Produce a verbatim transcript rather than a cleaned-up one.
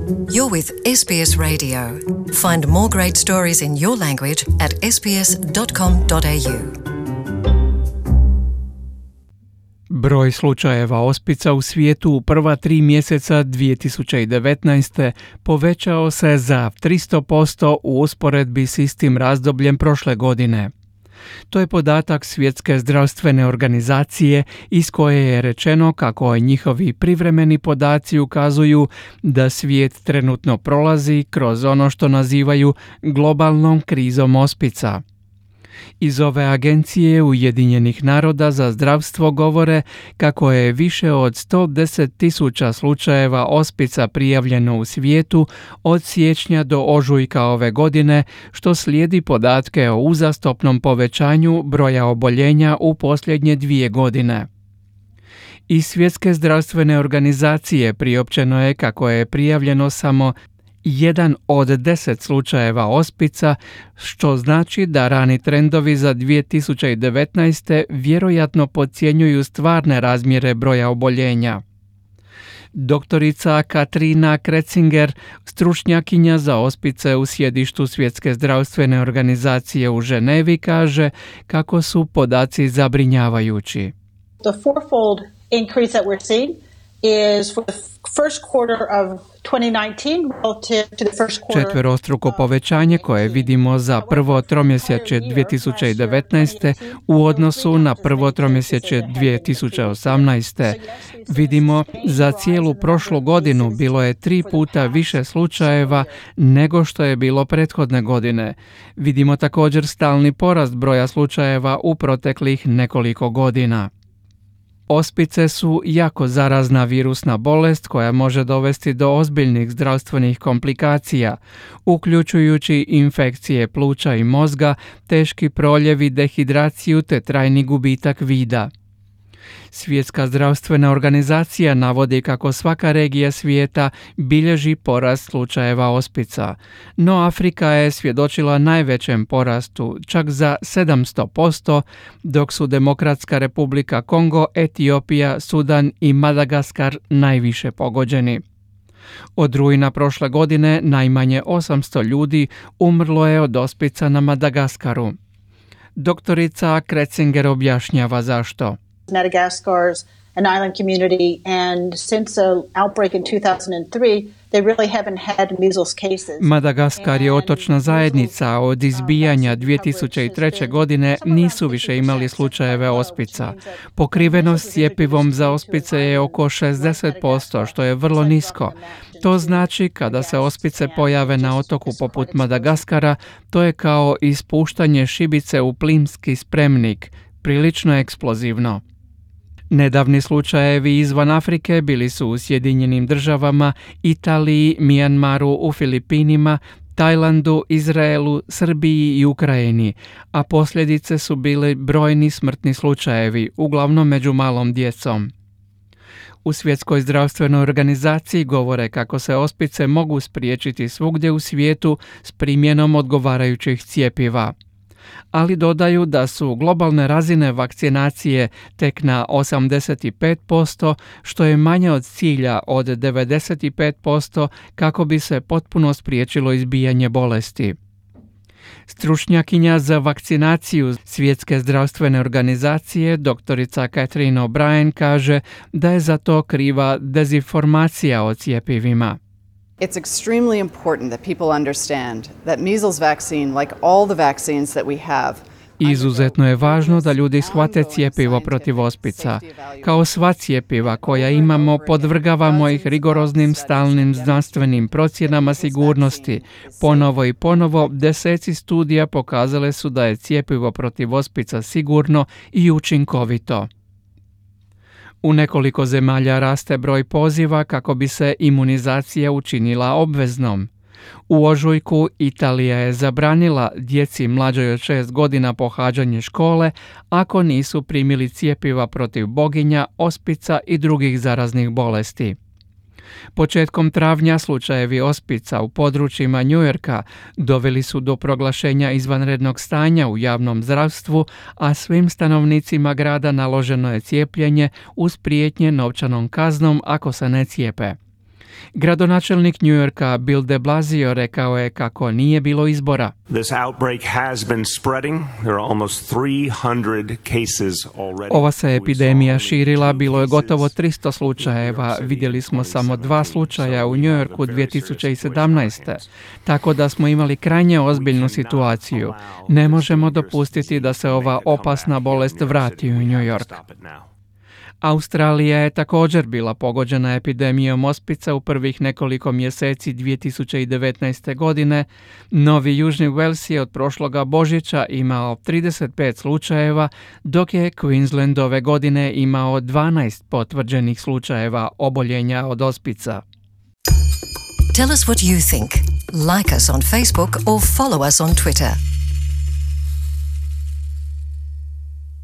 You're with S B S Radio. Find more great stories in your language at s b s dot com dot a u. Broj slučajeva ospica u svijetu u prva tri mjeseca dvije tisuće devetnaeste. povećao se za tristo posto u usporedbi s istim razdobljem prošle godine. To je podatak Svjetske zdravstvene organizacije iz koje je rečeno kako njihovi privremeni podaci ukazuju da svijet trenutno prolazi kroz ono što nazivaju globalnom krizom ospica. Iz ove agencije Ujedinjenih naroda za zdravstvo govore kako je više od sto deset tisuća slučajeva ospica prijavljeno u svijetu od siječnja do ožujka ove godine, što slijedi podatke o uzastopnom povećanju broja oboljenja u posljednje dvije godine. Iz Svjetske zdravstvene organizacije priopćeno je kako je prijavljeno samo jedan od deset slučajeva ospica, što znači da rani trendovi za dvije tisuće devetnaeste. vjerojatno podcjenjuju stvarne razmjere broja oboljenja. Doktorica Katrina Kretzinger, stručnjakinja za ospice u sjedištu Svjetske zdravstvene organizacije u Ženevi, kaže kako su podaci zabrinjavajući. The fourfold increase that we're seeing is for the first quarter of twenty nineteen relative to the first quarter. Četverostruko povećanje koje vidimo za prvo tromjesečje dvije tisuće devetnaeste. u odnosu na prvo tromjesečje dvije tisuće osamnaeste. Vidimo za cijelu prošlu godinu bilo je tri puta više slučajeva nego što je bilo prethodne godine. Vidimo također stalni porast broja slučajeva u proteklih nekoliko godina. Ospice su jako zarazna virusna bolest koja može dovesti do ozbiljnih zdravstvenih komplikacija, uključujući infekcije pluća i mozga, teški proljevi, dehidraciju te trajni gubitak vida. Svjetska zdravstvena organizacija navodi kako svaka regija svijeta bilježi porast slučajeva ospica, no Afrika je svjedočila najvećem porastu, čak za sedamsto posto, dok su Demokratska republika Kongo, Etiopija, Sudan i Madagaskar najviše pogođeni. Od rujna prošle godine najmanje osamsto ljudi umrlo je od ospica na Madagaskaru. Doktorica Kretzinger objašnjava zašto. Madagascar's an island community, and since the outbreak in two thousand three, they really haven't had measles cases. Madagaskar je otočna zajednica, od izbijanja dvije tisuće treće. godine nisu više imali slučajeve ospica. Pokrivenost cjepivom za ospice je oko šezdeset posto, što je vrlo nisko. To znači kada se ospice pojave na otoku poput Madagaskara, to je kao ispuštanje šibice u plinski spremnik, prilično eksplozivno. Nedavni slučajevi izvan Afrike bili su u Sjedinjenim državama, Italiji, Mijanmaru, u Filipinima, Tajlandu, Izraelu, Srbiji i Ukrajini, a posljedice su bili brojni smrtni slučajevi, uglavnom među malom djecom. U Svjetskoj zdravstvenoj organizaciji govore kako se ospice mogu spriječiti svugdje u svijetu s primjenom odgovarajućih cjepiva. Ali dodaju da su globalne razine vakcinacije tek na osamdeset pet posto, što je manje od cilja od devedeset pet posto kako bi se potpuno spriječilo izbijanje bolesti. Stručnjakinja za vakcinaciju Svjetske zdravstvene organizacije, doktorica Catherine O'Brien, kaže da je za to kriva dezinformacija o cjepivima. It's extremely important that people understand that measles vaccine, like all the vaccines that we have, Izuzetno je važno da ljudi shvate cjepivo protiv ospica. Kao sva cjepiva koja imamo, podvrgavamo ih rigoroznim stalnim znanstvenim procjenama sigurnosti. Ponovo i ponovo deseci studija pokazale su da je cjepivo protiv ospica sigurno i učinkovito. U nekoliko zemalja raste broj poziva kako bi se imunizacija učinila obveznom. U ožujku Italija je zabranila djeci mlađoj od šest godina pohađanje škole ako nisu primili cjepiva protiv boginja, ospica i drugih zaraznih bolesti. Početkom travnja slučajevi ospica u područjima Njujorka doveli su do proglašenja izvanrednog stanja u javnom zdravstvu, a svim stanovnicima grada naloženo je cijepljenje uz prijetnje novčanom kaznom ako se ne cijepe. Gradonačelnik New Yorka Bill de Blasio rekao je kako nije bilo izbora. This outbreak has been spreading. There are almost three hundred cases already. Ova se epidemija širila, bilo je gotovo tristo slučajeva. Vidjeli smo samo dva slučaja u New Yorku dvije tisuće sedamnaeste. Tako da smo imali krajnje ozbiljnu situaciju. Ne možemo dopustiti da se ova opasna bolest vrati u New York. Australija je također bila pogođena epidemijom ospica u prvih nekoliko mjeseci dvije tisuće devetnaeste. godine. Novi Južni Wales je od prošloga Božića imao trideset pet slučajeva, dok je Queensland ove godine imao dvanaest potvrđenih slučajeva oboljenja od ospica. Tell us what you think. Like us on Facebook or follow us on Twitter.